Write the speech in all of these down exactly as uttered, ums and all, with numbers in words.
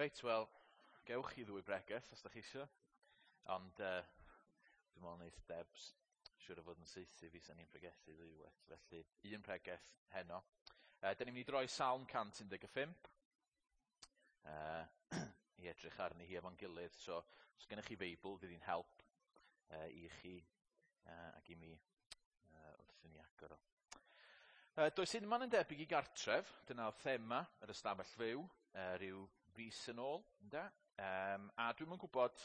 Reit, wel, gewch chi ddwy bregeth os da chi isio. Ond uh, dwi'n meddwl neith Debs siŵr o fod yn saethu fi sy'n ni'n pregethu ddwywaith. Felly, un pregeth heno. Uh, da ni'n mynd i droi Salm cant un deg pump uh, i edrych arni hi efo'n gilydd. So, os gennych chi Feibl, fydd hi'n help uh, i chi uh, ac i mi uh, wrth i ni agor o. Uh, does unman yn debyg i gartref, dyna oedd thema yr ystafell fyw, uh, rhyw fis yn ôl, ynde? Um, a dwi'm yn gwybod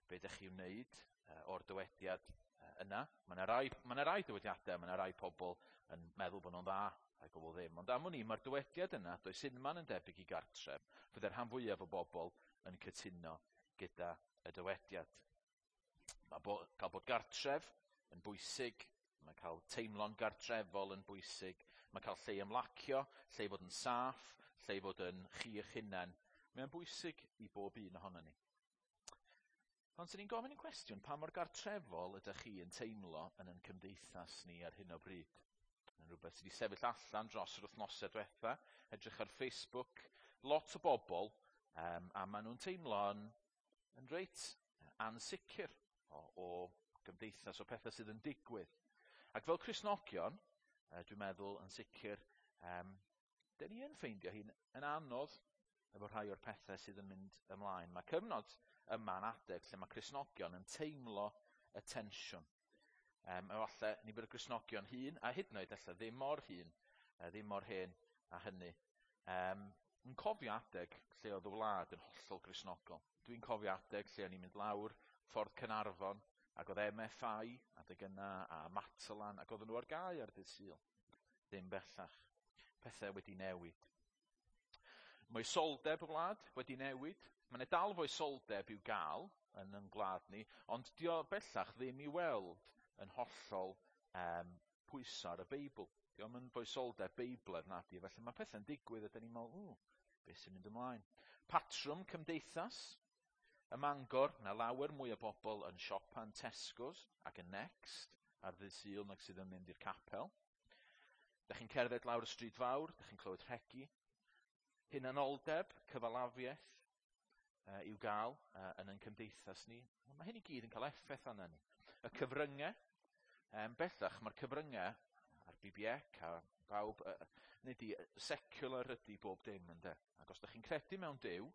be ydych chi'n wneud uh, o'r dywediad uh, yna. Mae yna rai, ma rai dywediadau, mae yna rai pobl yn meddwl bod nhw'n dda, rhai pobl ddim. Ond am wn i, mae'r dywediad yna, does unman yn debyg i gartref, fydde'r rhan fwyaf o bobl yn cytuno gyda y dywediad. Mae bo, cael bod gartref yn bwysig, mae cael teimlo'n gartrefol yn bwysig, mae cael lle i ymlacio, lle i fod yn saff, lle i fod yn chi eich hunain. Mae'n bwysig i bob un ohono ni. Ond sy'n ni'n gofyn yn cwestiwn, pa mor gartrefol ydych chi yn teimlo yn ein cymdeithas ni ar hyn o bryd? Yn rhywbeth sydd wedi sefyll allan dros yr wythnosau diwetha, edrych ar Facebook, lot o bobl, um, a maen nhw'n teimlo yn, yn reit ansicr o, o gymdeithas, o pethau sydd yn digwydd. Ac fel Cristnogion, dwi'n meddwl yn sicr, um, dyn ni yn ffeindio hi'n yn anodd efo rhai o'r pethau sydd yn mynd ymlaen. Mae cyfnod yma'n adeg lle mae Cristnogion yn teimlo y tensiwn. Um, efallai ni bod y Cristnogion hŷn, a hyd yn oed ella ddim mor hŷn, ddim mor hen a hynny. Um, yn cofio adeg lle oedd y wlad yn hollol Gristnogol. Dwi'n cofio adeg lle o'n i'n mynd lawr ffordd Caernarfon, ac oedd M F I adeg yna, a Matalan, ac oedden nhw ar gau ar dydd Sul. Ddim bellach. Pethau wedi newid. Moesoldeb y wlad wedi newid. Mae yna dal foesoldeb i'w gael yn ein gwlad ni, ond dio bellach ddim i weld yn hollol um, pwyso ar y Beibl. Dio'm yn foesoldeb Beiblaidd nadi, felly mae pethau'n digwydd a dyn ni'n meddwl, ww, beth sy'n mynd ymlaen? Patrwm cymdeithas. Ym Mangor, mae lawer mwy o bobl yn siopa yn Tesco's ac yn Next ar ddydd Sul nag sydd yn mynd i'r capel. Dach chi'n cerdded lawr y stryd fawr, dach chi'n clywed rhegi. Hunanoldeb, cyfalafiaeth uh, i'w gael uh, yn ein cymdeithas ni. Mae hyn i gyd yn cael effaith arna ni. Y cyfryngau, um, bellach mae'r cyfryngau ar B B C a bawb, uh, nid i secular ydy bob dim ynde. Ac os ydych chi'n credu mewn Duw,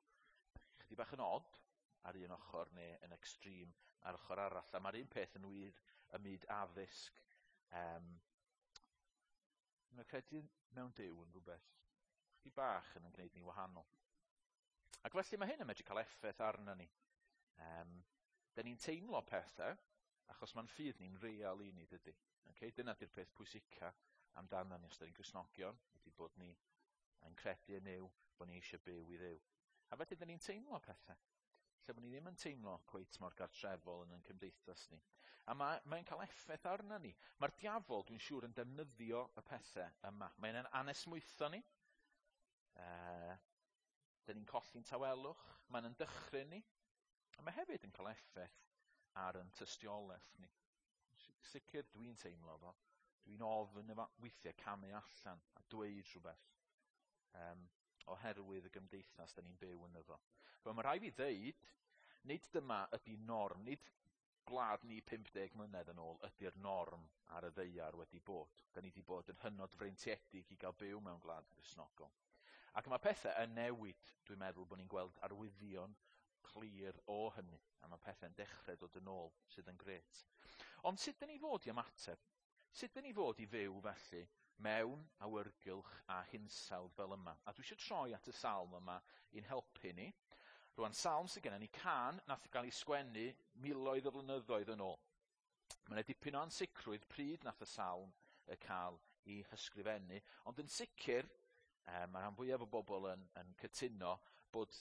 chydig bach yn odd ar un ochr neu yn extreme ar ochr arall. A mae'r un peth yn wir ym myd addysg. Um, mae credu mewn Duw yn rhywbeth chydig bach yn gwneud ni wahanol. Ac felly mae hyn yn medru cael effaith arno ni. Um, da ni'n teimlo pethau, achos mae'n ffydd ni'n real i ni, dydy. Okay? Dyna di'r peth pwysica amdano ni os da ni'n Gristnogion, ydy bod ni yn credu yn Nuw, bod ni eisiau byw i Dduw. A felly da ni'n teimlo pethau, lle bod ni ddim yn teimlo cweit mor gartrefol yn ein cymdeithas ni. A mae, mae'n cael effaith arno ni. Mae'r diafol, dwi'n siŵr, yn defnyddio y pethau yma. Mae'n anesmwytho ni. Uh, dyn ni'n colli'n tawelwch, mae'n yn dychryn ni, a mae hefyd yn cael effaith ar yn tystiolaeth ni. Sicr dwi'n teimlo fo, dwi'n ofn efo weithiau camu allan a dweud rhywbeth um, oherwydd y gymdeithas dyn ni'n byw ynddo fo. Wel, mae rhaid fi ddeud, nid dyma ydy norm, nid gwlad ni pump deg mlynedd yn ôl ydy'r norm ar y ddaear wedi bod. Da ni wedi bod yn hynod freintiedig i gael byw mewn gwlad Gristnogol. Ac mae pethau yn newid, dwi'n meddwl bod ni'n gweld arwyddion clir o hynny, a mae pethau'n dechrau dod yn ôl, sydd yn grêt. Ond sut dyn ni fod i ymateb? Sut dyn ni fod i fyw felly mewn awyrgylch a hinsawdd fel yma? A dwi eisiau troi at y salm yma i'n helpu ni. Rwan, salm sydd gennym ni, can nath gael ei sgwennu miloedd o flynyddoedd yn ôl. Mae yna dipyn o ansicrwydd pryd nath y salm y cael ei hysgrifennu, ond yn sicr, Um, mae rhan fwyaf o bobl yn, yn cytuno bod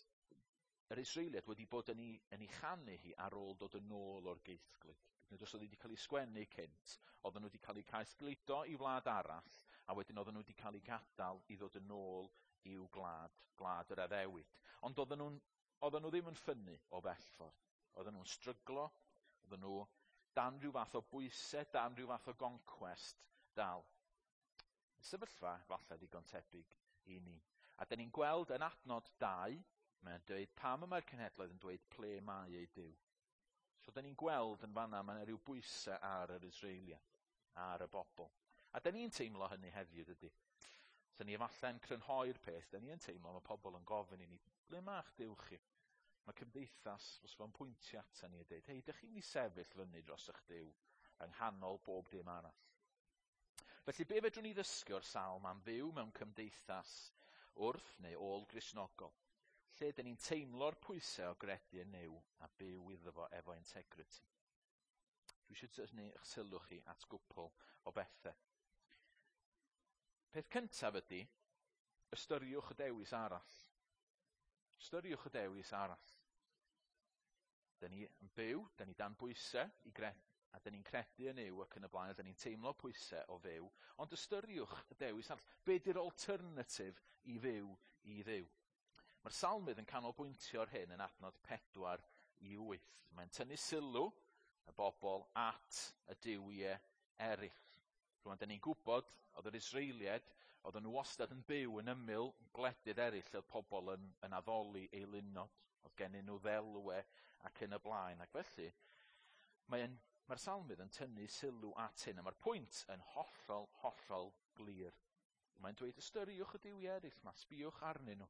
yr Israeliad wedi bod yn ei, yn ei chanu hi ar ôl dod yn ôl o'r geithglyd. Nid os oedd wedi cael ei sgwennu cynt, oedden nhw wedi cael eu caethgludo i wlad arall, a wedyn oedden nhw wedi cael eu gadael i ddod yn ôl i'w gwlad, gwlad yr addewid. Ond oedden nhw'n, oedden nhw ddim yn ffynnu o bell ffordd. Oedden nhw'n stryglo, oedden nhw dan rhyw fath o bwysau, dan rhyw fath o goncwest dal. Sefyllfa falle ddigon tebyg i ni. A dyn ni'n gweld yn adnod dau, Mae'n dweud pam y mae'r cenhedloedd yn dweud ple mae ei Duw. So da ni'n gweld yn fanna, mae yna rhyw bwysau ar yr Israeliad, ar y bobl. A da ni'n teimlo hynny heddiw, dydy. So ni efallai'n crynhoi'r peth, da ni yn teimlo mae pobl yn gofyn i ni, ble ma'ch Duw chi? Mae cymdeithas, os fo'n pwyntio ata ni a dweud, hei, dych chi'n mynd i sefyll fyny dros eich Duw yng nghanol bob dim arall. Felly, be fedrwn ni ddysgu o'r salm am fyw mewn cymdeithas wrth neu ôl Gristnogol, lle dyn ni'n teimlo'r pwysau o gredu yn Nuw a byw iddo fo efo integrity? Dwi eisiau tynnu eich sylw chi at gwpl o bethau. Peth cyntaf ydy, ystyriwch y dewis arall. Ystyriwch y dewis arall. Dyn ni yn byw, dyn ni dan bwysau i gre a dyn ni'n credu yn Nuw ac yn y blaen, a dyn ni'n teimlo pwysau o fyw, ond ystyriwch y dewis arall. Be di'r alternative i fyw i Dduw? Mae'r salmydd yn canolbwyntio ar hyn yn adnod pedwar i wyth. Mae'n tynnu sylw y bobl at y duwiau eraill. Rwan, dyn ni'n gwybod, oedd yr Israeliaid, oedden nhw wastad yn byw yn ymyl gwledydd eraill, oedd pobl yn, yn addoli eilunod, oedd gennyn nhw ddelwe ac yn y blaen. Ac felly, mae'n, mae'r salmydd yn tynnu sylw at hyn, a mae'r pwynt yn hollol, hollol glir. Mae'n dweud, ystyriwch y duwiau eraill ma, sbïwch arnyn nhw.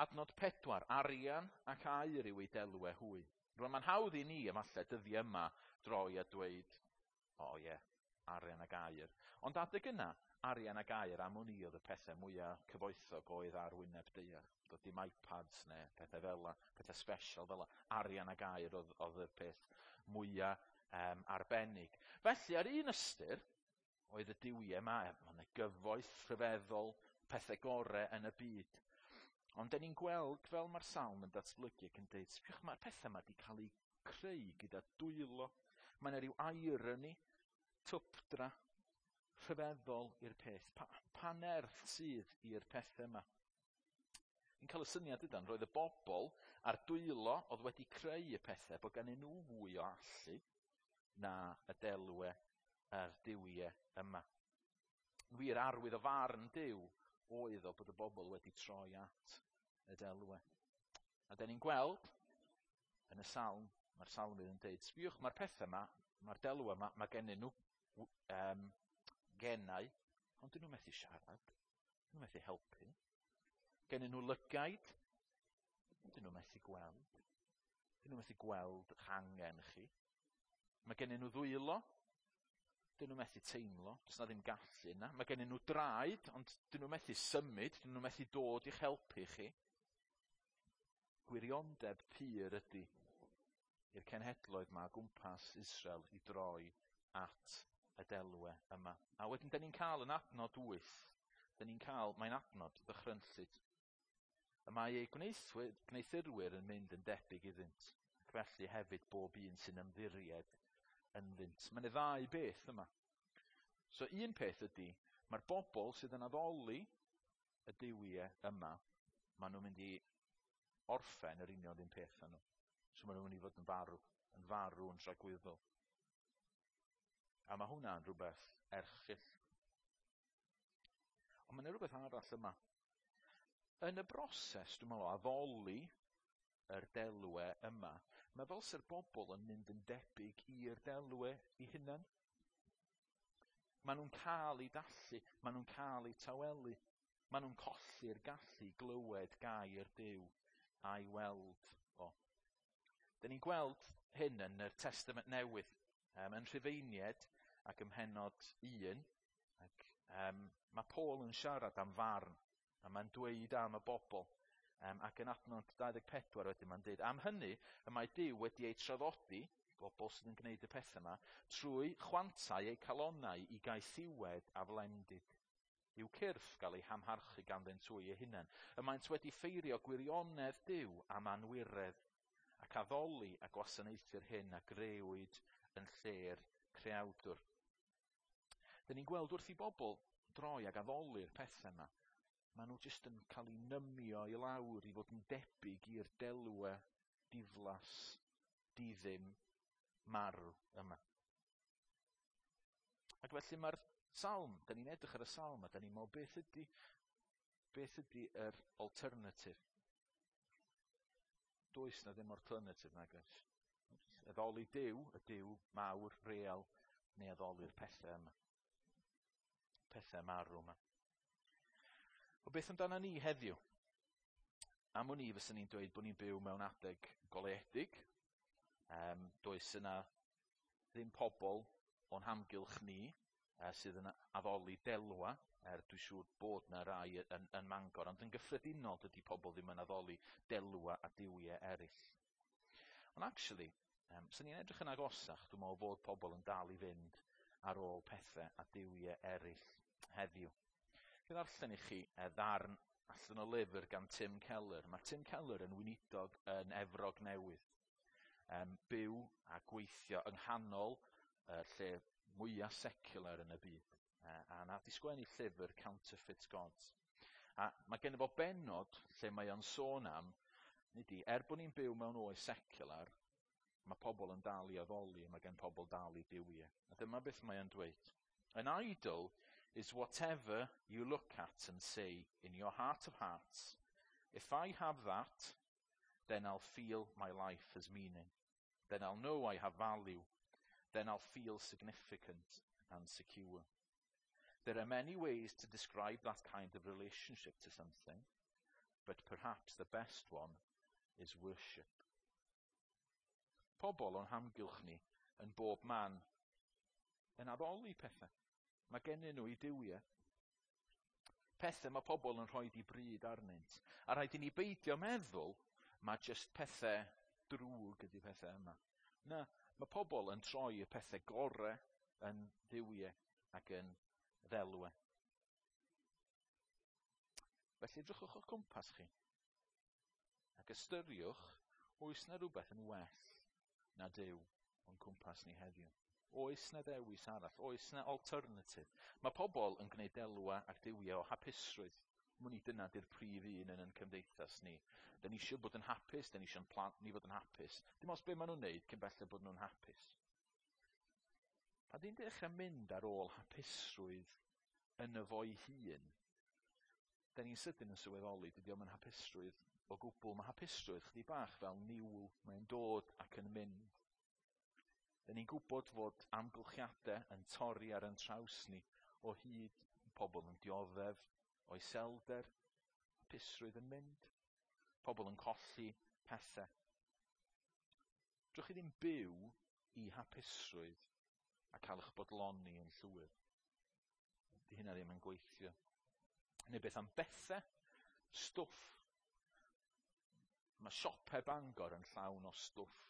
Adnod pedwar, arian ac aur yw eu delwe hwy. Rwan, mae'n hawdd i ni, efallai, dyddiau yma, droi a dweud, o oh, ie, yeah, arian ac aur. Ond adeg yna, arian ac aur am wn i oedd y pethau mwyaf cyfoethog oedd ar wyneb daear. Doedd dim iPads neu pethau fel 'na, pethau special fel 'na. Arian ac aur oedd, oedd y peth mwyaf um, arbennig. Felly, ar un ystyr, oedd y duwiau yma, mae yna gyfoeth rhyfeddol, pethau gorau yn y byd. Ond da ni'n gweld fel mae'r salm yn datblygu ac yn dweud, sbiwch, mae'r pethau yma wedi cael eu creu gyda dwylo. Mae yna rhyw irony, twpdra, rhyfeddol i'r peth. Pa, pa nerth sydd i'r pethau yma? Ni'n cael y syniad ydan, roedd y bobl a'r dwylo oedd wedi creu y pethau, bod gennyn nhw fwy o allu na y delwe a'r duwiau yma. Yn wir, arwydd o farn Duw oedd o bod y bobl wedi troi at y delwe. A da ni'n gweld yn y salm, mae'r salmydd yn dweud, sbiwch, mae'r pethau yma, mae'r delwe yma, mae gennyn nhw um, genau, ond dyn nhw methu siarad, dyn nhw methu helpu. Gennyn nhw lygaid, dyn nhw methu gweld. Dyn nhw methu gweld eich angen chi. Mae gennyn nhw ddwylo, dyn nhw methu teimlo, does na ddim gallu yna. Mae gennyn nhw draed, ond dyn nhw methu symud, dyn nhw methu dod i'ch helpu chi. Gwiriondeb pur ydy i'r cenhedloedd ma gwmpas Israel i droi at y delwe yma. A wedyn, da ni'n cael yn adnod wyth, da ni'n cael, mae'n adnod ddychrynllyd. Y mae eu gwneuthurwyr yn mynd yn debyg iddynt, ac felly hefyd bob un sy'n ymddiried ynddynt. Mae yna ddau beth yma. So un peth ydy, mae'r bobl sydd yn addoli y duwiau yma, maen nhw'n mynd i orffen yr union un peth â nhw. So maen nhw'n mynd i fod yn farw, yn farw yn tragwyddol. A mae hwnna'n rhywbeth erchyll. Ond mae yna rhywbeth arall yma. Yn y broses, dwi'n meddwl, o addoli yr delwe yma, mae fel sy'r bobl yn mynd yn debyg i'r delwe i hunan. Maen nhw'n cael eu dallu, maen nhw'n cael eu tawelu, maen nhw'n colli'r gallu glywed gair Duw a'i weld o. Da ni'n gweld hyn yn y Testament Newydd, um, yn Rhufeiniaid ac ym mhennod un, ac um, mae Paul yn siarad am farn, a mae'n dweud am y bobl. Um, ac yn adnod dau ddeg pedwar wedyn mae'n dweud, am hynny y mae Duw wedi eu traddodi, bobl sydd yn gwneud y pethau yma, trwy chwantau eu calonnau i gaethiwed a flendid, i'w cyrff gael eu hamharchu ganddynt hwy eu hunain. Y maent wedi ffeirio gwirionedd Duw am anwiredd, ac addoli a gwasanaethu'r hyn a grëwyd yn lle'r creawdwr. Dyn ni'n gweld wrth i bobl droi ag addoli'r pethau yma, maen nhw jyst yn cael eu nymio i lawr i fod yn debyg i'r delwe diflas, diddim, marw yma. Ac felly mae'r salm, da ni'n edrych ar y salm a da ni'n meddwl beth ydy, beth ydy yr alternative? Does na ddim alternative, nag oes? Addoli Duw, y Duw mawr, real, neu addoli'r pethau yma. Pethau marw yma. O, beth amdano ni heddiw? Am wn i fyswn ni'n dweud bod ni'n byw mewn adeg goleuedig. Um, does yna ddim pobl o'n hamgylch ni uh, sydd yn addoli delwa, er dwi'n siŵr bod na rai yn, yn Mangor, ond yn gyffredinol dydy pobl ddim yn addoli delwa a duwiau eraill. Ond actually, um, sy'n ni'n edrych yn agosach, dwi'n meddwl bod pobl yn dal i fynd ar ôl pethau a duwiau eraill heddiw. Dwi'n ddarllen i chi e, ddarn allan o lyfr gan Tim Keller. Mae Tim Keller yn weinidog yn Efrog Newydd. Um, byw a gweithio yng nghanol uh, lle mwyaf secular yn y byd. Uh, a nath i sgwennu llyfr Counterfeit Gods. A mae gen fo benod lle mae o'n sôn am, nid i, er bod ni'n byw mewn oes secular, mae pobl yn dal i addoli, mae gen pobl dal i duwiau. A dyma beth mae o'n dweud. "An idol is whatever you look at and say in your heart of hearts, 'If I have that, then I'll feel my life has meaning. Then I'll know I have value. Then I'll feel significant and secure.' There are many ways to describe that kind of relationship to something, but perhaps the best one is worship." Pobl o'n hamgylch ni yn bob man yn addoli pethau. Mae gennyn nhw eu duwiau. Pethau mae pobl yn rhoi i bryd arnynt. A rhaid i ni beidio meddwl mae jyst pethau drwg ydy pethau yma. Na, mae pobl yn troi y pethau gore yn dduwiau ac yn ddelwau. Felly edrychwch o'ch cwmpas chi. Ac ystyriwch, oes na rhywbeth yn well na Duw o'n cwmpas ni heddiw? Oes na ddewis arall? Oes na alternative? Mae pobl yn gwneud delwa ac duwiau o hapusrwydd. Mwyn i dyna di'r prif un yn yn cymdeithas ni. Da ni eisiau bod yn hapus, da ni eisiau'n plant ni fod yn hapus. Dim ots be maen nhw'n neud cyn belled bod nhw'n hapus. Pan di'n dechrau mynd ar ôl hapusrwydd yn y fo'i hun, da ni'n sydyn yn sylweddoli dydy o'm yn hapusrwydd o gwbl. Mae hapusrwydd chdi bach fel niwl, mae'n dod ac yn mynd. Da ni'n gwybod fod amgylchiadau yn torri ar yn traws ni o hyd, pobl yn dioddef o iselder, hapusrwydd yn mynd, pobl yn colli pethau. Drwch chi ddim byw i hapusrwydd a cael eich bodloni yn llwyr. Di hynna ddim yn gweithio. Neu beth am bethau? Stwff. Mae siopau Bangor yn llawn o stwff.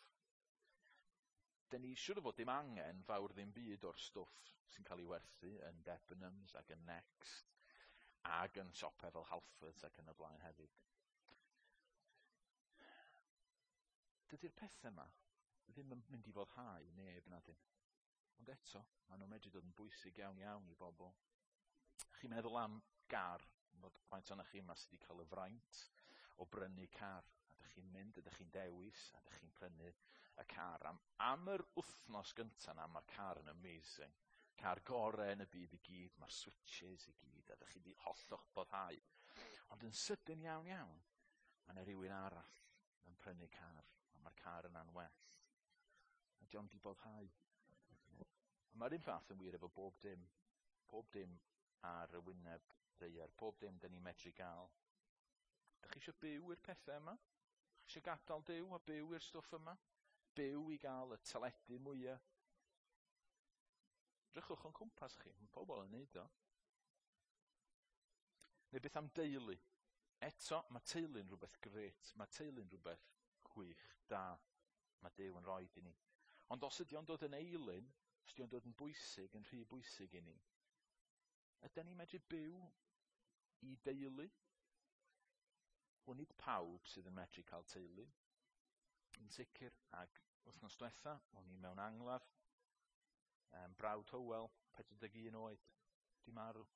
Da ni siŵr o fod dim angen fawr ddim byd o'r stwff sy'n cael ei werthu yn Debenhams ac yn Next ac yn siopau fel Halfords ac yn y blaen hefyd. Dydy'r pethau yma ddim yn mynd i foddhau neb na dyn. Ond eto, maen nhw'n medru dod yn bwysig iawn iawn i bobl. Chi'n meddwl am gar, bod faint o'na chi yma sydd wedi cael y fraint o brynu car. A dych chi'n mynd, ydych chi'n dewis, a dych chi'n prynu y car. Am, am yr wythnos gyntaf na, mae'r car yn amazing. Car gore yn y byd i gyd, mae'r switches i gyd, a dych chi wedi hollol boddhau. Ond yn sydyn iawn iawn, mae yna rhywun arall yn prynu car, a mae'r car yna'n well. A dio'm di boddhau. A mae'r un fath yn wir efo bob dim. Pob dim ar y wyneb ddaear, pob dim dyn ni'n medru gael. Dych chi eisiau byw i'r pethau yma? Dych chi eisiau gadael Duw a byw i'r stwff yma? Byw i gael y teledu mwyaf? Drychwch o'n cwmpas chi, mae pobl yn neud o. Neu beth am deulu? Eto, mae teulu'n rhywbeth grêt, mae teulu'n rhywbeth gwych, da. Mae Duw yn rhoi i ni. Ond os ydy o'n dod yn eilun, os ydy o'n dod yn bwysig, yn rhy bwysig i ni, ydyn ni'n medru byw i deulu? Wel, nid pawb sydd yn medru cael teulu. Yn sicr, ac wythnos diwetha, o'n i mewn angladd, um, brawd Hywel, pedwar deg un oed, di marw.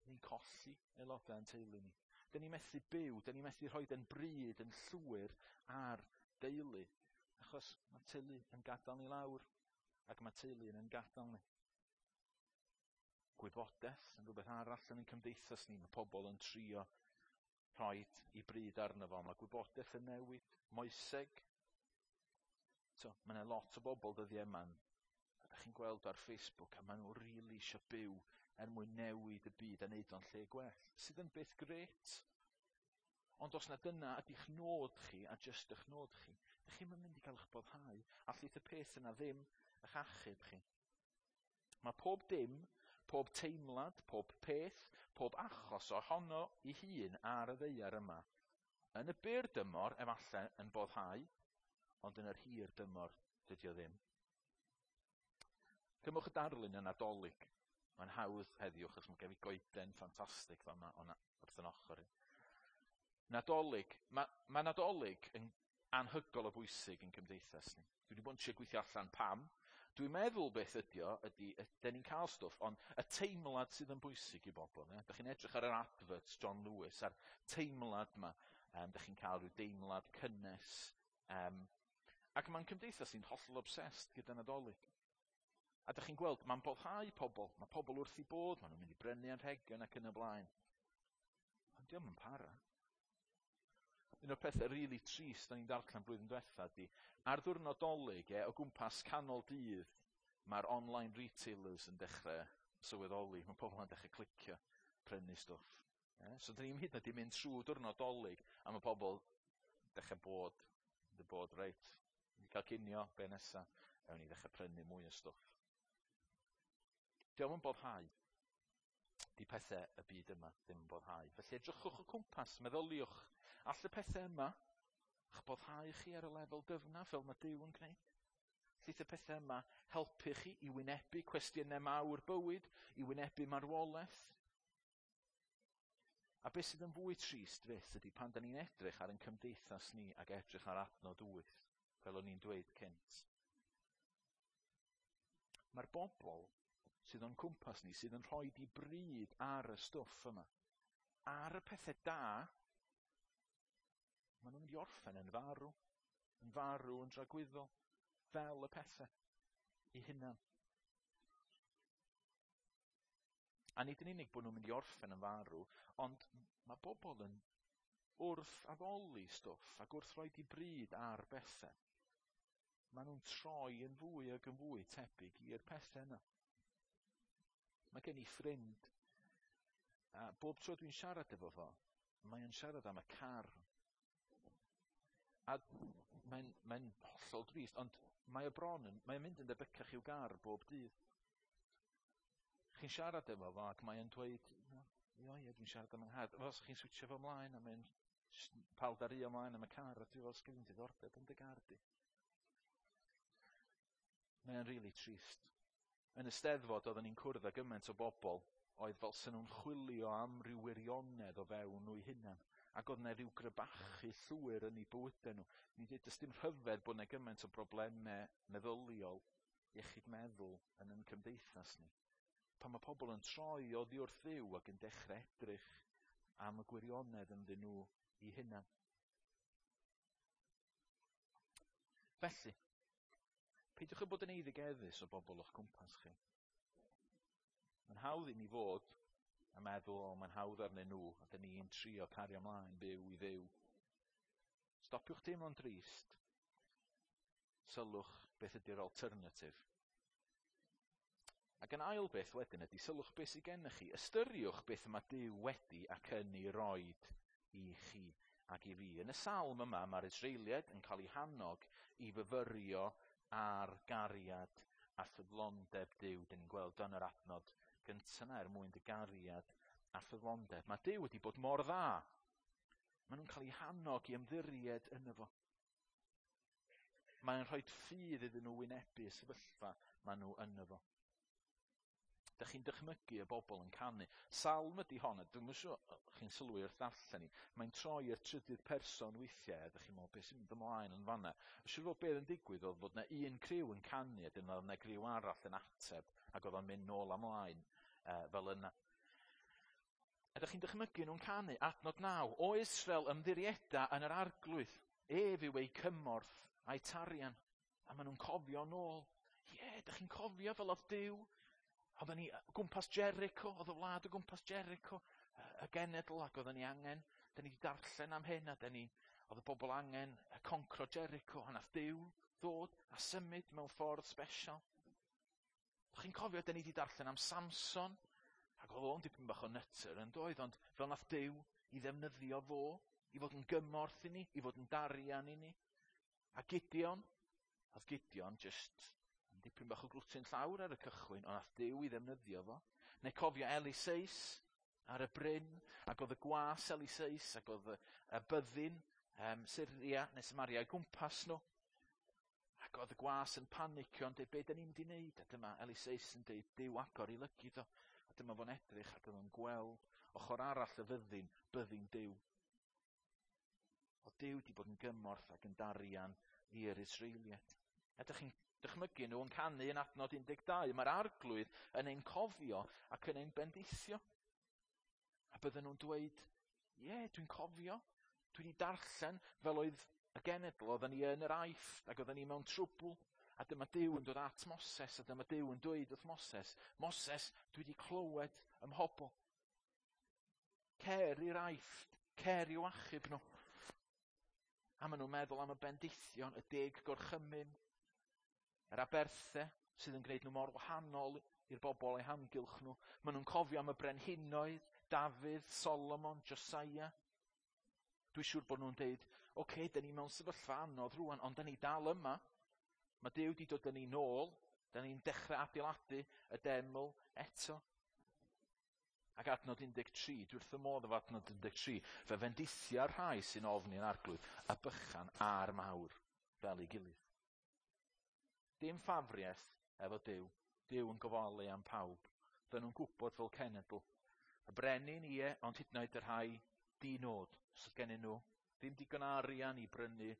Ni'n colli aelodau yn teulu ni. Dyn ni'n methu byw, dyn ni'n methu rhoi yn bryd yn llwyr ar deulu, achos mae teulu yn gadael ni lawr, ac mae teulu yn gadael ni. Gwybodaeth yn rhywbeth arall yn ein cymdeithas ni. Mae pobl yn trio rhoi i bryd arno fo. Mae gwybodaeth yn newid, moeseg. So, mae yna lot o bobl dyddiau yma, a chi'n gweld ar Facebook, a maen nhw rili really eisiau byw er mwyn newid y byd a wneud o'n lle gwell, sydd yn beth grêt. Ond os na dyna ydy'ch nod chi, a jyst eich nod chi, ydych chi'm yn mynd i gael eich boddhau. Allith y peth yna ddim eich achub chi. Mae pob dim, pob teimlad, pob peth, pob achos ohono i hun ar y ddaear yma, yn y byr dymor efallai yn boddhau, ond yn yr hir dymor dydy o ddim. Cymwch y darlun yn Nadolig. Mae'n hawdd heddiw, achos mae gen i goeden ffantastig fama wrth yn ochr i. Nadolig. Mae, mae Nadolig yn anhygol o bwysig yn cymdeithas ni. Dwi wedi bod yn trio gweithio allan pam. Dwi'n meddwl beth ydi o, ydy, ydyn ni'n cael stwff, ond y teimlad sydd yn bwysig i bobl. Ne? Dych chi'n edrych ar yr adverts John Lewis, a'r teimlad yma. Um, dych chi'n cael rhyw deimlad cynnes. Um, ac mae'n cymdeithas ni'n hollol obsessed gyda Nadolig. A dych chi'n gweld, mae'n boddhau pobl. Mae pobl wrth i bod, maen nhw'n mynd i brynu anrhegion ac yn y blaen. Ond dio'm yn para. Un o'r pethau rili really trist da ni'n darllen blwyddyn diwetha ydy, ar ddiwrnod Dolig, e, o gwmpas canol dydd, mae'r online retailers yn dechrau sylweddoli. Mae pobl yn dechrau clicio, prynu stwff. E? So dyn ni'n hyd yn oed i mynd trwy diwrnod Dolig, a mae pobl dechrau bod, dy bod, reit, ni cael cinio, be nesa, ewn ni ddechrau prynu mwy o stwff. Dio'm yn boddhau. Di pethau y byd yma ddim yn boddhau. Felly edrychwch o cwmpas, meddyliwch, all y pethau yma eich boddhau chi ar y lefel dyfna fel mae Duw yn gwneud? Allith y pethau yma helpu chi i wynebu cwestiynau mawr bywyd, i wynebu marwolaeth? A beth sydd yn fwy trist fyth ydy pan da ni'n edrych ar ein cymdeithas ni ac edrych ar adnod wyth, fel o'n i'n dweud cynt. Mae'r bobl sydd o'n cwmpas ni, sydd yn rhoi di bryd ar y stwff yma, ar y pethau da, maen nhw'n mynd i orffen yn farw, yn farw yn dragwyddol, fel y pethau i hunan. A nid yn unig bod nhw'n mynd i orffen yn farw, ond mae bobl yn wrth addoli stwff ac wrth rhoi di bryd ar bethau. Maen nhw'n troi yn fwy ac yn fwy tebyg i'r pethau yna. Mae gen i ffrind, a bob tro dwi'n siarad efo fo, mae o'n siarad am y car. A mae'n mae hollol drist, ond mae o bron yn, mae o'n mynd yn debycach i'w gar bob dydd. Chi'n siarad efo fo ac mae o'n dweud, o ie, dwi'n siarad am yng nghar. Fel chi'n switio fo ymlaen, a mae'n paldaru ymlaen am y car, a dwi'n fel sgyn i'n diddordeb yn dy gar di. Mae o'n rili trist. Yn y Steddfod oedden ni'n cwrdd â gymaint o bobl oedd fel sy'n nhw'n chwilio am ryw wirionedd o fewn nhw'i hunan. Ac oedd yna rhyw grybachu llwyr yn eu bywydau nhw. Ni'n dweud, does dim rhyfedd bod yna gymaint o broblemau meddyliol, iechyd meddwl yn ein cymdeithas ni. Pan mae pobl yn troi oddi wrth Dduw ac yn dechrau edrych am y gwirionedd ynddyn nhw i hunan. Felly, peidiwch â bod yn eiddigeddus o bobl o'ch cwmpas chi. Mae'n hawdd i ni fod a meddwl, o, mae'n hawdd arnyn nhw, a dyn ni'n trio cario ymlaen byw i Dduw. Stopiwch teimlo'n drist. Sylwch beth ydy'r alternative. Ac yn ail beth wedyn ydy, sylwch beth sydd gennych chi. Ystyriwch beth mae Duw wedi ac yn ei roed i chi ac i fi. Yn y salm yma, mae'r Israeliaid yn cael eu hannog i fyfyrio ar gariad a ffyddlondeb Duw. Dyn ni'n gweld yn yr adnod gyntaf yna, er mwyn dy gariad a ffyddlondeb. Mae Duw wedi bod mor dda. Maen nhw'n cael eu hannog i ymddiried yno fo. Mae'n rhoi ffydd iddyn nhw wynebu y sefyllfa maen nhw yno fo. Dych chi'n dychmygu y bobl yn canu. Salm ydy hon, a dwi'm yn siŵr chi'n sylwi wrth ddarllen i. Mae'n troi i'r trydydd person weithiau, a dych chi'n meddwl beth sy'n mynd ymlaen yn fanna. Siŵr fod beth yn digwydd oedd fod yna un criw yn canu, a dyna oedd yna griw arall yn ateb, ac oedd o'n mynd nôl ymlaen uh, fel yna. A dych chi'n dychmygu nhw'n canu, adnod naw, o Israel ymddirieda yn yr arglwydd, ef yw eu cymorth a'i tarian. A maen nhw'n cofio nôl. Ie, yeah, dych chi'n cofio fel oedd Duw. Oedden ni gwmpas Jericho, oedd y wlad o gwmpas Jericho, y genedl, ac oedden ni angen Da ni wedi darllen am hyn, a da ni, oedd y bobl angen concro Jericho, a nath Duw ddod a symud mewn ffordd special. Dych chi'n cofio, da ni wedi darllen am Samson, ac oedd o'n dipyn bach o nutter yn doedd, ond fel nath Duw i ddefnyddio fo, i fod yn gymorth i ni, i fod yn darian i ni. A Gideon, oedd Gideon just yn dipyn bach o glwtyn llawr ar y cychwyn, ond nath Duw i ddefnyddio fo. Neu cofio Eliseus ar y bryn, ac oedd y gwas Eliseus, ac oedd y, y byddin um, Syria neu Samaria i gwmpas nhw. Ac oedd y gwas yn panicio yn dweud, be da ni'n mynd i wneud? A dyma Eliseus yn dweud, Duw agor i lygid o. A dyma fo'n edrych ac oedd o'n gweld ochr arall y fyddin, byddin Duw. Oedd Duw wedi bod yn gymorth ac yn darian i'r Israeliaid. A ydych chi'n dychmygu nhw yn canu yn adnod un deg dau. Mae'r arglwydd yn ein cofio ac yn ein bendithio. A bydden nhw'n dweud, ie, yeah, dwi'n cofio. Dwi wedi darllen fel oedd y genedl, oedden ni yn yr Aifft ac oedden ni mewn trwbl. A dyma Duw yn dod at Moses, a dyma Duw yn dweud wrth Moses, Moses, dwi wedi clywed ym mhobl. Cer i'r Aifft, cer i'w achub nhw. A maen nhw'n meddwl am y bendithion, y deg gorchymyn, yr aberthau sydd yn gwneud nhw mor wahanol i'r bobl eu hamgylch nhw. Maen nhw'n cofio am y brenhinoedd, Dafydd, Solomon, Josiah. Dwi'n siŵr bod nhw'n deud, oce, okay, da ni mewn sefyllfa anodd rwan, ond da ni dal yma. Mae Duw wedi dod â ni nôl, da ni'n dechrau adeiladu y deml eto. Ac adnod un deg tri, dwi wrth y modd efo adnod un deg tri, fe fendithia'r rhai sy'n ofni'n arglwydd, a bychan a'r mawr fel ei gilydd. Dim ffafriaeth efo Duw, Duw yn gofalu am pawb. Dyn nhw'n gwybod fel cenedl. Y brenin, ie, ond hyd yn oed y rhai di-nod, os oedd gennyn nhw ddim digon arian i brynu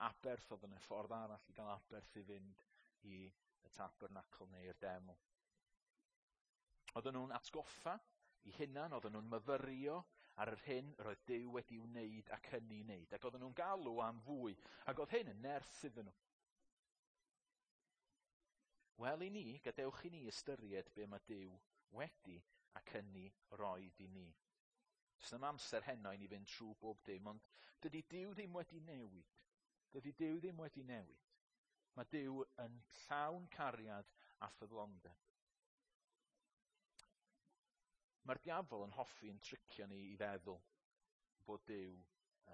aberth, oedd yna ffordd arall i gael aberth i fynd i y tabernacl neu'r deml. Oedden nhw'n atgoffa i hunan, oedden nhw'n myfyrio ar yr hyn yr oedd Duw wedi wneud ac yn ei wneud, ac oedden nhw'n galw am fwy, ac oedd hyn yn nerth iddyn nhw. Wel i ni, gadewch i ni ystyried be mae Duw wedi ac yn ei roed i ni. Does na'm amser heno i ni fynd trwy bob dim, ond dydy Duw ddim wedi newid. Dydy Duw ddim wedi newid. Mae Duw yn llawn cariad a ffyddlondeb. Mae'r diafol yn hoffi yn tricio ni i feddwl bod Duw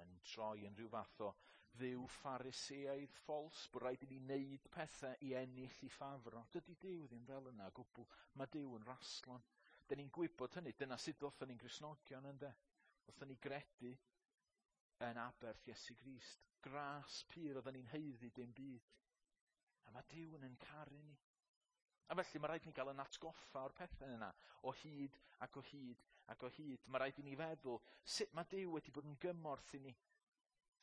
yn troi yn rhyw fath o dduw Phariseaidd ffals, bod rhaid i ni wneud pethau i ennill i ffafro. Dydy Duw ddim fel yna o gwbl. Mae Duw yn raslon. Dyn ni'n gwybod hynny, dyna sut ddothon ni'n Gristnogion ynde. Ddothon ni gredu yn aberth Iesu Grist. Gras pur, oedden ni'n haeddu dim byd. A mae Duw yn ein caru ni. A felly mae rhaid ni gael yn atgoffa o'r pethau yna, o hyd ac o hyd ac o hyd. Mae rhaid i ni feddwl sut mae Duw wedi bod yn gymorth i ni.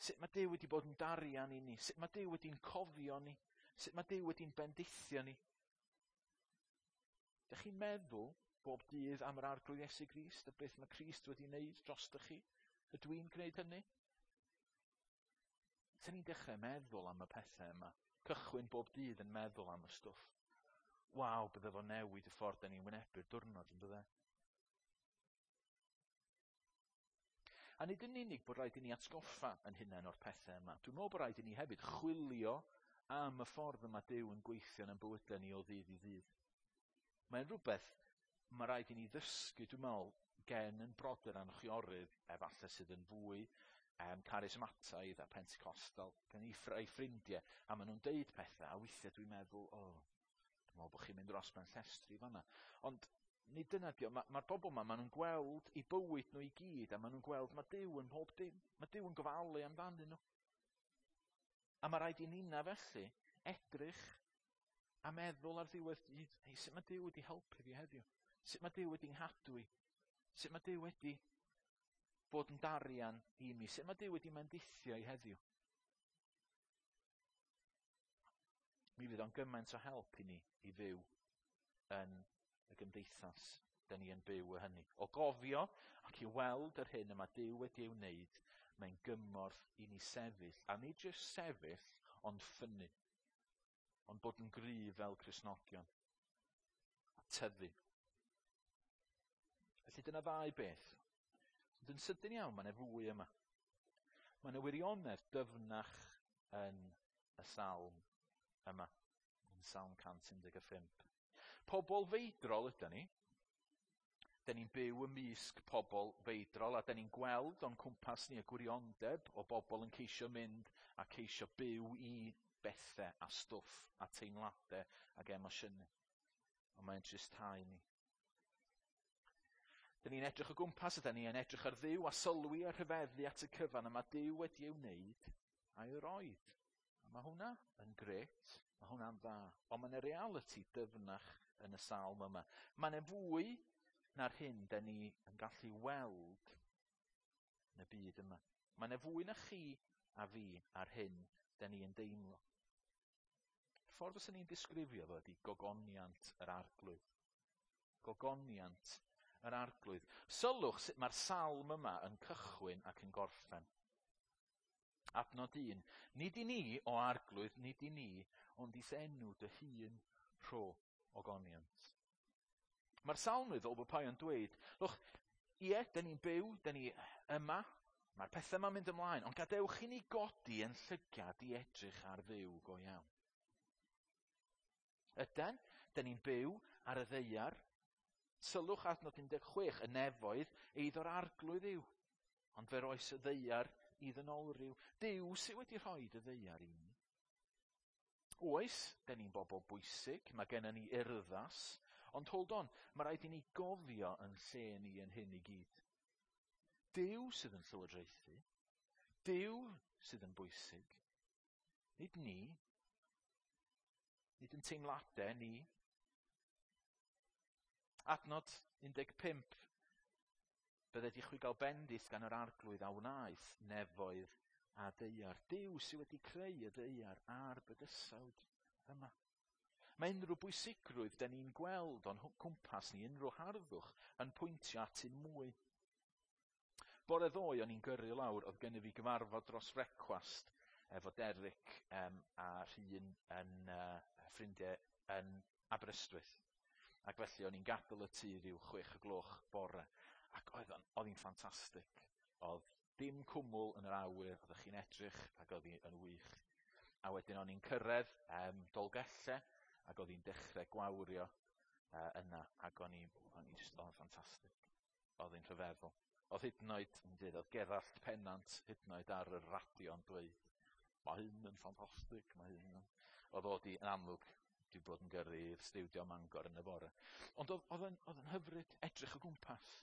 Sut mae Duw wedi bod yn darian i ni. Sut mae Duw wedi'n cofio ni. Sut mae Duw wedi'n bendithio ni. Dych chi'n meddwl bob dydd am yr Arglwydd Iesu Grist a beth mae Crist wedi wneud drostoch chi? Ydw i'n gwneud hynny? Dyn ni'n dechrau meddwl am y pethau yma. Cychwyn bob dydd yn meddwl am y stwff. Waw, bydde fo newid y ffordd da ni'n wynebu'r diwrnod, yn bydde? A nid yn unig bod rhaid i ni atgoffa yn hunain o'r pethau yma. Dwi'n meddwl bod rhaid i ni hefyd chwilio am y ffordd yma Duw yn gweithio yn ein bywydau ni o ddydd i ddydd. Mae'n rhywbeth mae rhaid i ni ddysgu, dwi'n meddwl, gen yn brodyr a'n chwiorydd, efallai sydd yn fwy um, charismataidd a Pentecostal, gen i ffr-, eu ffrindiau, a maen nhw'n deud pethau, a weithiau dwi'n meddwl, o, oh, dwi'n meddwl bod chi'n mynd dros ben llestri fan'na. Ond nid dyna dio, ma-, ma'r bobl ma, maen nhw'n gweld eu bywyd nhw i gyd, a maen nhw'n gweld mae Duw yn mhob dim, mae Duw yn gofalu amdanyn nhw. A mae rhaid i ninna felly edrych a meddwl ar ddiwedd dydd, hei, sut mae Duw wedi helpu fi heddiw? Sut mae Duw wedi nghadw i? Sut mae Duw wedi bod yn darian i mi? Sut mae Duw wedi mendithio i heddiw? Mi fydd o'n gymaint o help i ni i fyw yn y gymdeithas da ni yn byw y hynny. O gofio ac i weld yr hyn y mae Duw wedi ei wneud, mae'n gymorth i ni sefyll, a nid jyst sefyll, ond ffynnu, ond bod yn gryf fel Cristnogion, a tyfu. Felly dyna ddau beth. Ond yn sydyn iawn, mae yna fwy yma. Mae yna wirionedd dyfnach yn y salm yma, yn Salm cant un deg pump. Pobl feidrol ydy ni. Da ni'n byw ymysg pobl feidrol a da ni'n gweld o'n cwmpas ni y gwiriondeb o bobl yn ceisio mynd a ceisio byw i bethau a stwff a teimladau ac emosiynau. Ond mae'n tristhau ni. Da ni'n edrych o gwmpas a da ni'n edrych ar Dduw a sylwi a rhyfeddu at y cyfan a mae Duw wedi ei wneud a'i roed. A mae hwnna yn grêt, mae hwnna'n dda. Ond mae yna realiti dyfnach yn y salm yma. Mae yna fwy na'r hyn da ni yn gallu weld yn y byd yma. Mae yna fwy na chi a fi ar hyn da ni yn deimlo. Y ffordd fyswn ni'n disgrifio fo ydy gogoniant yr Arglwydd. Gogoniant yr Arglwydd. Sylwch sut mae'r salm yma yn cychwyn ac yn gorffen. Adnod un. Nid i ni, o Arglwydd, nid i ni, ond i'th enw dy hun rho ogoniant. Mae'r salmydd o bob yn dweud, lwch, ie, da ni'n byw, da ni yma, mae'r pethau yma'n mynd ymlaen, ond gadewch i ni godi yn llygad i edrych ar Dduw go iawn. Yden, da ni'n byw ar y ddaear. Sylwch adnod un deg chwech, y nefoedd, eiddo'r Arglwydd yw, ond fe roes y ddaear i ddynolryw. Duw sydd wedi rhoi y ddaear i ni. Oes, da ni'n bobl bwysig, mae gennym ni urddas, ond hold on, mae rhaid i ni gofio yn lle ni yn hyn i gyd. Duw sydd yn llywodraethu, Duw sydd yn bwysig, nid ni, nid yn teimladau ni. Adnod un deg pump, bydded i chwi gael bendith gan yr Arglwydd a wnaeth nefoedd a daear. Duw sydd wedi creu y ddaear a'r bydysawd yma. Mae unrhyw bwysigrwydd da ni'n gweld o'n cwmpas ni, unrhyw harddwch, yn pwyntio at un mwy. Bore ddoe o'n i'n gyrru lawr, oedd gennyf fi gyfarfod dros frecwast efo Derek um, a Rhun yn uh, ffrindiau yn Aberystwyth. Ac felly o'n i'n gadael y tŷ ryw chwech y gloch bore. Ac oedd o'n, oedd hi'n ffantastig. Oedd dim cwmwl yn yr awyr, oeddech chi'n edrych ac oedd hi'n wych. A wedyn o'n i'n cyrraedd um, Dolgellau, ac oedd hi'n dechrau gwawrio uh, yna, ac o'n i, o'n i just, oedd o'n ffantastig. Oedd hi'n rhyfeddol. Oedd hyd yn oed, yn dweud, oedd Gerallt Pennant hyd yn oed ar y radio yn dweud, mae hyn yn ffantastig, mae hyn yn... Oedd o di, yn amlwg, di bod yn gyrru i'r stiwdio Mangor yn y bore. Ond oedd, oedd, yn, oedd yn hyfryd edrych o gwmpas.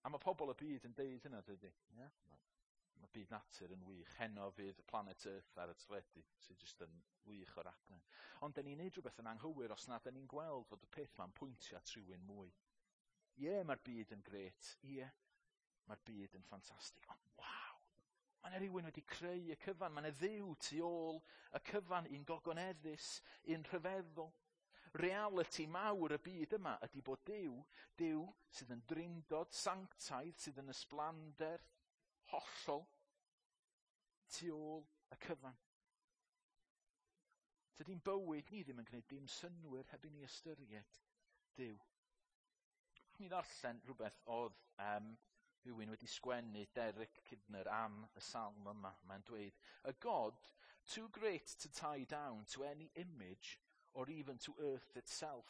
A mae pobl y byd yn deud hynna, dydy. Yeah? Mae byd natur yn wych. Heno fydd Planet Earth ar y teledu, sydd jyst yn wych o'r raglen. Ond da ni'n neud rhywbeth yn anghywir os na da ni'n gweld fod y peth ma'n pwyntio at rhywun mwy. Ie, mae'r byd yn grêt. Ie, mae'r byd yn ffantastig. Ond waw, mae yna rhywun wedi creu y cyfan. Mae yna Dduw tu ôl y cyfan, un gogoneddus, un rhyfeddol. Reality mawr y byd yma ydy bod Duw, Duw sydd yn drindod sanctaidd, sydd yn ysblander hollol tu ôl y cyfan. Tydi'n bywyd ni ddim yn gwneud dim synnwyr heb i ni ystyried Duw. Mi ddarllen rhywbeth oedd um, rhywun wedi sgwennu, Derek Kidner, am y salm yma. Mae'n dweud, A God too great to tie down to any image or even to earth itself,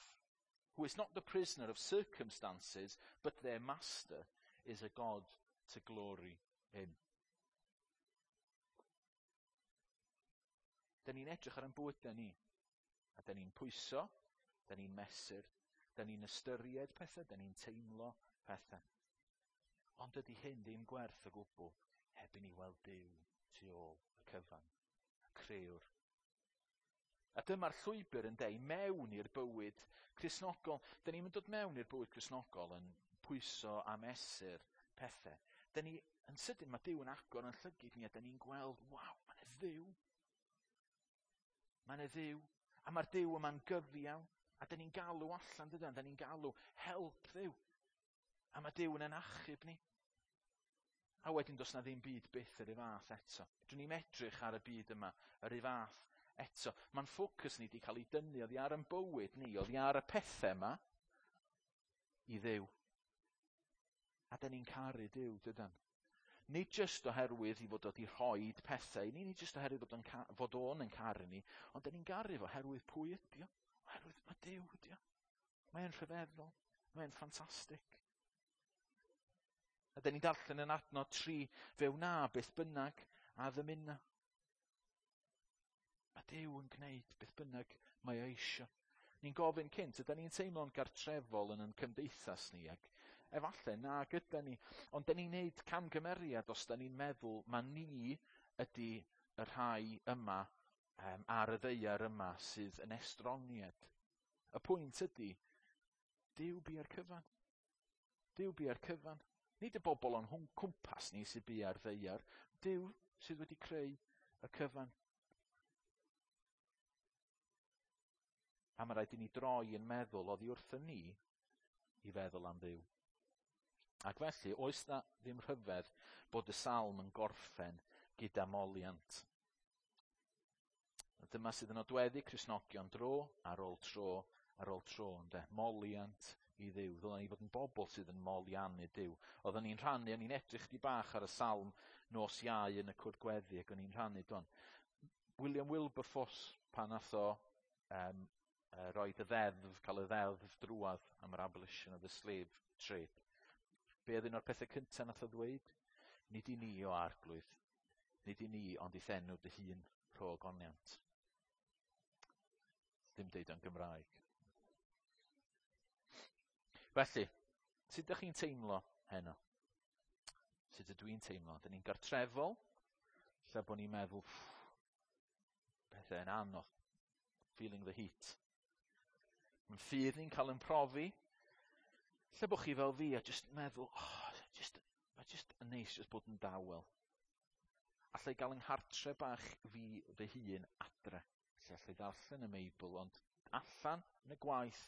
who is not the prisoner of circumstances, but their master, is a God to glory in. Da ni'n edrych ar ein bywydau ni, a da ni'n pwyso, da ni'n mesur, da ni'n ystyried pethau, da ni'n teimlo pethau. Ond dydy hyn ddim gwerth o gwbl heb i ni weld Duw tu ôl y cyfan, y crëwr. A dyma'r llwybr yn deu mewn i'r bywyd Cristnogol. Da ni'n dod mewn i'r bywyd Cristnogol yn pwyso a mesur pethau. Da ni, yn sydyn, mae Duw yn agor yn llygid ni a da ni'n gweld, waw, mae yna Dduw. Mae yna Dduw. A mae'r Duw yma'n gyfiawn. A da ni'n galw allan, dydan? Da ni'n galw help Dduw. A mae Duw yn ein achub ni. A wedyn does na ddim byd byth yr un fath eto. Dwi'n ni'n edrych ar y byd yma yr un fath eto. Mae'n ffocws ni wedi cael ei dynnu oddi ar ein bywyd ni, oddi ar y pethau yma, i Dduw. A da ni'n caru Duw, dydan? Nid jyst oherwydd i fod o wedi rhoi pethau i ni, nid jyst oherwydd fod o'n, fod o'n yn caru ni, ond da ni'n garu fo oherwydd pwy ydi o. Oherwydd mae Duw ydi o. Mae'n rhyfeddol. Mae'n ffantastig. A da ni'n darllen yn adnod tri, fe wna beth bynnag a ddymuna. Mae Duw yn gwneud beth bynnag mae o eisio. Ni'n gofyn cynt, ydy ni'n teimlo'n gartrefol yn yn cymdeithas ni, ac efallai na gyda ni, ond da ni'n neud camgymeriad os da ni'n meddwl ma ni ydy y rhai yma um, ar y ddaear yma sydd yn estroniad. Y pwynt ydy, Duw bia'r cyfan. Duw bia'r cyfan. Nid y bobl o'n hwn cwmpas ni sydd bia'r ddaear. Duw sydd wedi creu y cyfan. A mae rhaid i ni droi yn meddwl oddi wrthym ni i feddwl am Dduw. Ac felly, oes na ddim rhyfedd bod y salm yn gorffen gyda moliant. A dyma sydd yn nodweddu Cristnogion dro ar ôl tro ar ôl tro, ynde? Moliant i Dduw. Ddylen ni fod yn bobl sydd yn moliannu Duw. Oedden ni'n rhannu, o'n i'n edrych di bach ar y salm nos Iau yn y cwrdd gweddi, ac o'n i'n rhannu don. William Wilberforce, pan nath o um, uh, roed y ddeddf, cael y ddeddf drwadd am yr abolition of the slave trade. Be oedd un o'r pethau cyntaf nath o ddweud? Nid i ni o arglwydd, nid i ni ond i'th enw dy hun rho ogoniant. Ddim deud o'n Gymraeg. Felly, sut ydych chi'n teimlo heno? Sut ydw i'n teimlo? Dyn ni'n gartrefol, lle bod ni'n meddwl, pethau yn anodd, feeling the heat. Mae'n ffydd ni'n cael yn profi. Lle bod chi fel fi a just meddwl, oh, just, mae just yn neis just bod yn dawel. Allai gael yng nghartre bach fi fy hun adre. Lle allai ddarllen y Meibl, ond allan yn y gwaith,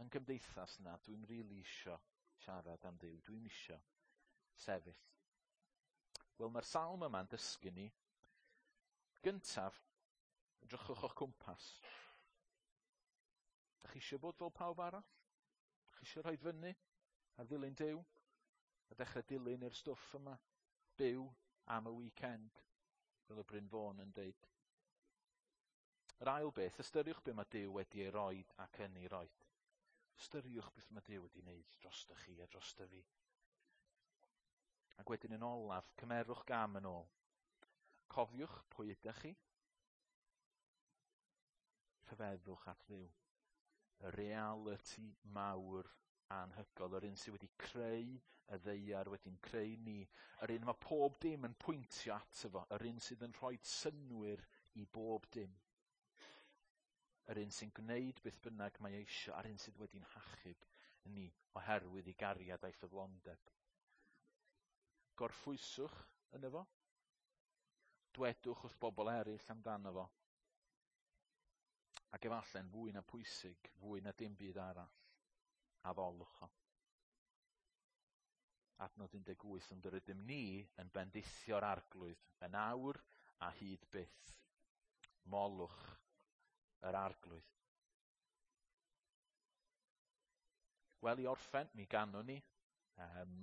yn gymdeithas na, dwi'n rili isio siarad am Dduw. Dwi'n isio sefyll. Wel, mae'r salm yma'n dysgu ni. Gyntaf, edrychwch o'ch cwmpas. Dach chi eisiau bod fel pawb arall? Dach chi eisiau rhoi fyny ar ddilyn Duw? A dechrau dilyn i'r stwff yma? Byw am y weekend, fel y Bryn Fôn yn deud. Yr ail beth, ystyriwch be mae Duw wedi ei roed ac yn ei roed. Ystyriwch beth mae Duw wedi wneud drosto chi a drosto fi. Ac wedyn yn olaf, cymerwch gam yn ôl. Cofiwch pwy ydych chi. Rhyfeddwch at Dduw. Y reality mawr anhygoel, yr un sydd wedi creu y ddaear, wedi'n creu ni, yr un mae pob dim yn pwyntio ato fo, yr un sydd yn rhoi synnwyr i bob dim. Yr un sy'n gwneud beth bynnag mae eisio, a'r un sydd wedi'n hachub ni oherwydd ei gariad a'i ffyddlondeb. Gorffwyswch yno fo. Dwedwch wrth bobl eraill amdano fo. Ac efallai'n fwy na pwysig, fwy na dim byd arall, addolwch o. Adnod un deg wyth, ond yr ydym ni yn bendithio'r arglwydd yn awr a hyd byth. Molwch yr arglwydd. Wel, i orffen, mi ganwn ni. Um,